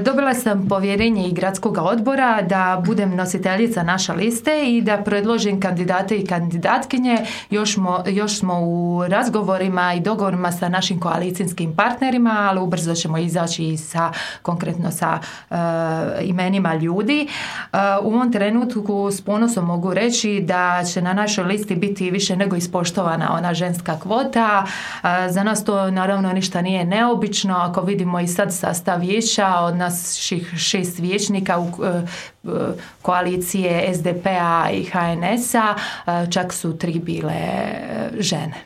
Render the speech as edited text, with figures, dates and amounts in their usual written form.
Dobila sam povjerenje i gradskog odbora da budem nositeljica naše liste i da predložim kandidate i kandidatkinje. Još smo u razgovorima i dogovorima sa našim koalicijskim partnerima, ali ubrzo ćemo izaći i konkretno sa imenima ljudi. U ovom trenutku s ponosom mogu reći da će na našoj listi biti više nego ispoštovana ona ženska kvota. Za nas to naravno ništa nije neobično. Ako vidimo i sad sastav vijeća od naših 6 vijećnika u koalicije SDP-a i HNS-a, čak su 3 bile žene.